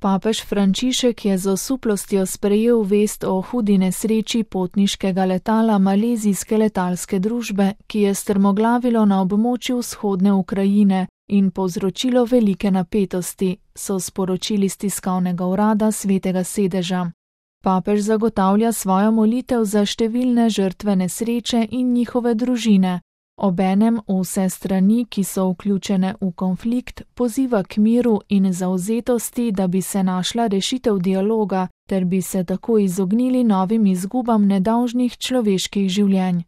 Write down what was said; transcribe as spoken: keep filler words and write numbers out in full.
Papež Frančišek je z osuplostjo sprejel vest o hudi nesreči potniškega letala malezijske letalske družbe, ki je strmoglavilo na območju vzhodne Ukrajine in povzročilo velike napetosti, so sporočili s tiskovnega urada Svetega sedeža. Papež zagotavlja svojo molitev za številne žrtve nesreče in njihove družine. Obenem vse strani, ki so vključene v konflikt, poziva k miru in zavzetosti, da bi se našla rešitev dialoga, ter bi se tako izognili novim izgubam nedolžnih človeških življenj.